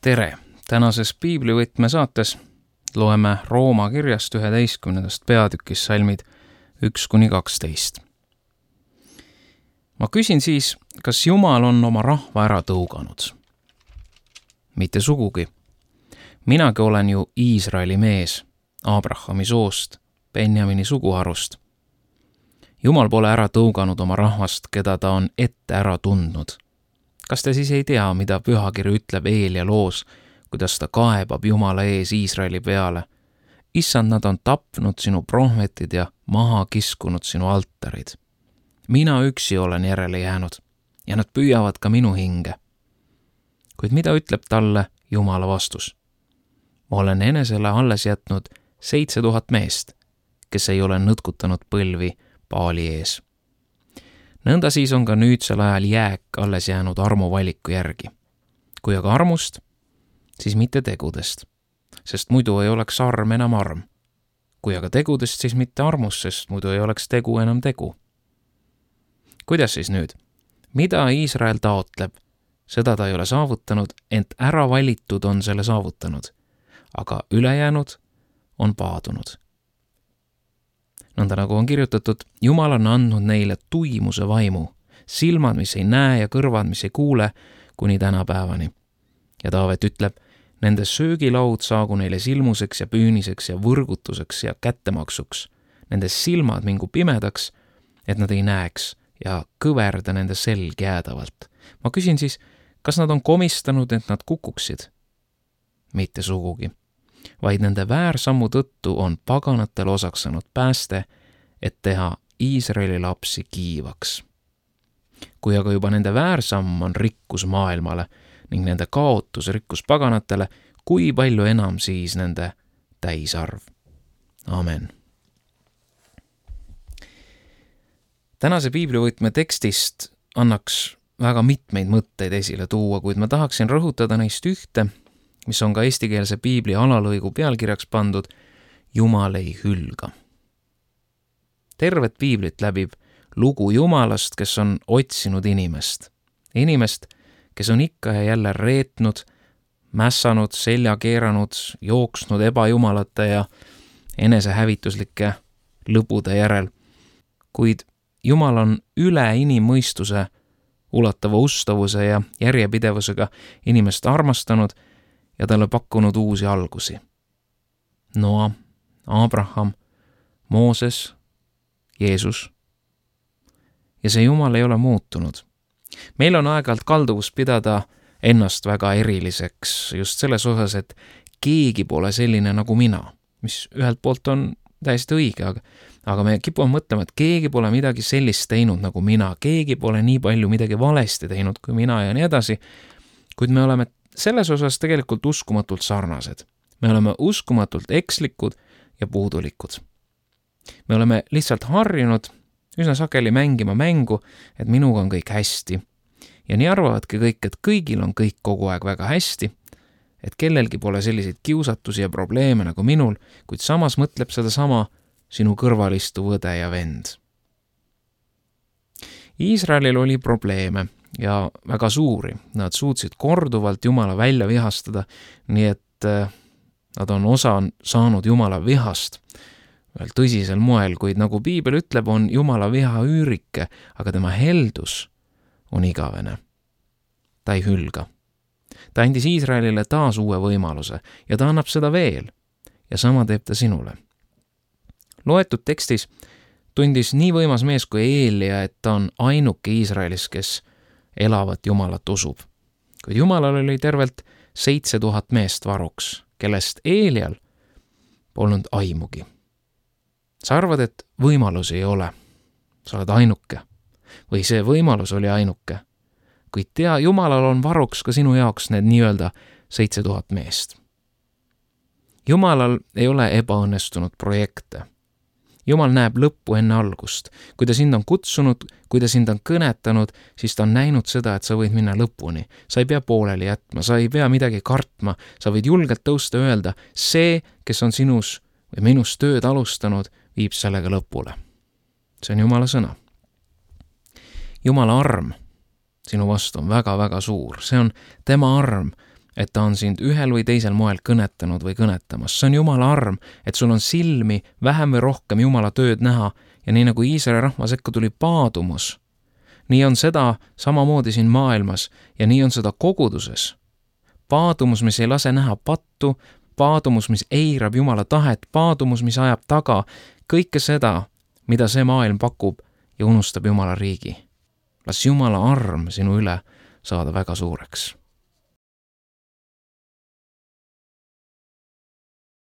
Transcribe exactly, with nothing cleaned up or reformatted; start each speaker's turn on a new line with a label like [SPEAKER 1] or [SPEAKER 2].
[SPEAKER 1] Tere! Tänases Piiblivõtme saates loeme Rooma kirjast üheteistkümnendast peatükis salmid üks kuni kaksteist. Ma küsin siis, kas Jumal on oma rahva ära tõuganud? Mitte sugugi. Minagi olen ju Iisraeli mees, Abrahami soost, Benjamini suguharust. Jumal pole ära tõuganud oma rahvast, keda ta on ette ära tundnud. Kas te siis ei tea, mida pühakiri ütleb Eelia loos, kuidas ta kaebab Jumala ees Iisraeli peale? Issand, nad on tapnud sinu prohvetid ja maha kiskunud sinu altarid. Mina üksi olen järele jäänud ja nad püüavad ka minu hinge. Kuid mida ütleb talle Jumala vastus? Ma olen enesele alles jätnud seitse tuhat meest, kes ei ole nõtkutanud põlvi Baali ees. Nõnda siis on ka nüüdsel ajal jääk alles jäänud armuvaliku järgi. Kui aga armust, siis mitte tegudest, sest muidu ei oleks arm enam arm. Kui aga tegudest, siis mitte armust, sest muidu ei oleks tegu enam tegu. Kuidas siis nüüd? Mida Iisrael taotleb? Seda ta ei ole saavutanud, ent ära valitud on selle saavutanud, aga ülejäänud on paadunud. Nõnda nagu on kirjutatud, Jumal on andnud neile tuimuse vaimu, silmad, mis ei näe ja kõrvad, mis ei kuule, kuni tänapäevani. Ja Taavet ütleb, nende söögilaud saagu neile silmuseks ja püüniseks ja võrgutuseks ja kättemaksuks. Nende silmad mingu pimedaks, et nad ei näeks ja kõverda nende selg jäädavalt. Ma küsin siis, kas nad on komistanud, et nad kukuksid? Mitte sugugi. Vaid nende väärsammu tõttu on paganatel osaks saanud pääste, et teha Iisraeli lapsi kiivaks. Kui aga juba nende väärsamm on rikkus maailmale ning nende kaotus rikkus paganatele, kui palju enam siis nende täisarv? Amen. Tänase Piiblivõtme tekstist annaks väga mitmeid mõtteid esile tuua, kuid ma tahaksin rõhutada neist ühte, mis on ka eestikeelse piibli alalõigu pealkirjaks pandud Jumal ei hülga. Tervet piiblit läbib lugu Jumalast, kes on otsinud inimest. Inimest, kes on ikka ja jälle reetnud, mässanud, selja keeranud, jooksnud ebajumalate ja enesehävituslike lõbude järel. Kuid Jumal on üle inimmõistuse ulatava ustavuse ja järjepidevusega inimest armastanud ja talle pakkunud uusi algusi. Noa, Abraham, Mooses, Jeesus. Ja see Jumal ei ole muutunud. Meil on aeg-ajalt kalduvus pidada ennast väga eriliseks just selles osas, et keegi pole selline nagu mina, mis ühelt poolt on täiesti õige, aga, aga me kipume mõtlema, et keegi pole midagi sellist teinud nagu mina, keegi pole nii palju midagi valesti teinud kui mina ja nii edasi, kuid me oleme selles osas tegelikult uskumatult sarnased. Me oleme uskumatult ekslikud ja puudulikud. Me oleme lihtsalt harjunud üsna sageli mängima mängu, et minuga on kõik hästi. Ja nii arvavadki kõik, et kõigil on kõik kogu aeg väga hästi, et kellelgi pole selliseid kiusatusi ja probleeme nagu minul, kuid samas mõtleb seda sama sinu kõrvalistu õde ja vend. Iisraelil oli probleeme ja väga suuri. Nad suutsid korduvalt Jumala välja vihastada, nii et nad on osa saanud Jumala vihast veel tõsisel moel, kuid nagu piibel ütleb, on Jumala viha üürike, aga tema heldus on igavene. Ta ei hülga. Ta andis Iisraelile taas uue võimaluse ja ta annab seda veel ja sama teeb ta sinule. Loetud tekstis tundis nii võimas mees kui Eelia, et ta on ainuke Iisraelis, kes elavat Jumalat usub. Kuid Jumalal oli tervelt seitse tuhat meest varuks, kellest Eelial polnud aimugi. Sa arvad, et võimalusi ei ole. Sa oled ainuke. Või see võimalus oli ainuke. Kuid tea, Jumalal on varuks ka sinu jaoks need nii-öelda seitse tuhat meest. Jumalal ei ole ebaõnnestunud projekte. Jumal näeb lõppu enne algust. Kui ta sind on kutsunud, kui ta sind on kõnetanud, siis ta on näinud seda, et sa võid minna lõpuni. Sa ei pea pooleli jätma, sa ei pea midagi kartma, sa võid julgelt tõusta öelda, see, kes on sinus või minus tööd alustanud, viib sellega lõpule. See on Jumala sõna. Jumala arm sinu vastu on väga-väga suur. See on tema arm, et ta on sind ühel või teisel moel kõnetanud või kõnetamas. See on Jumala arm, et sul on silmi vähem või rohkem Jumala tööd näha ja nii nagu Iisraeli rahva sekka tuli paadumus, nii on seda samamoodi siin maailmas ja nii on seda koguduses. Paadumus, mis ei lase näha pattu, paadumus, mis eirab Jumala tahet, paadumus, mis ajab taga kõike seda, mida see maailm pakub ja unustab Jumala riigi. Las Jumala arm sinu üle saada väga suureks.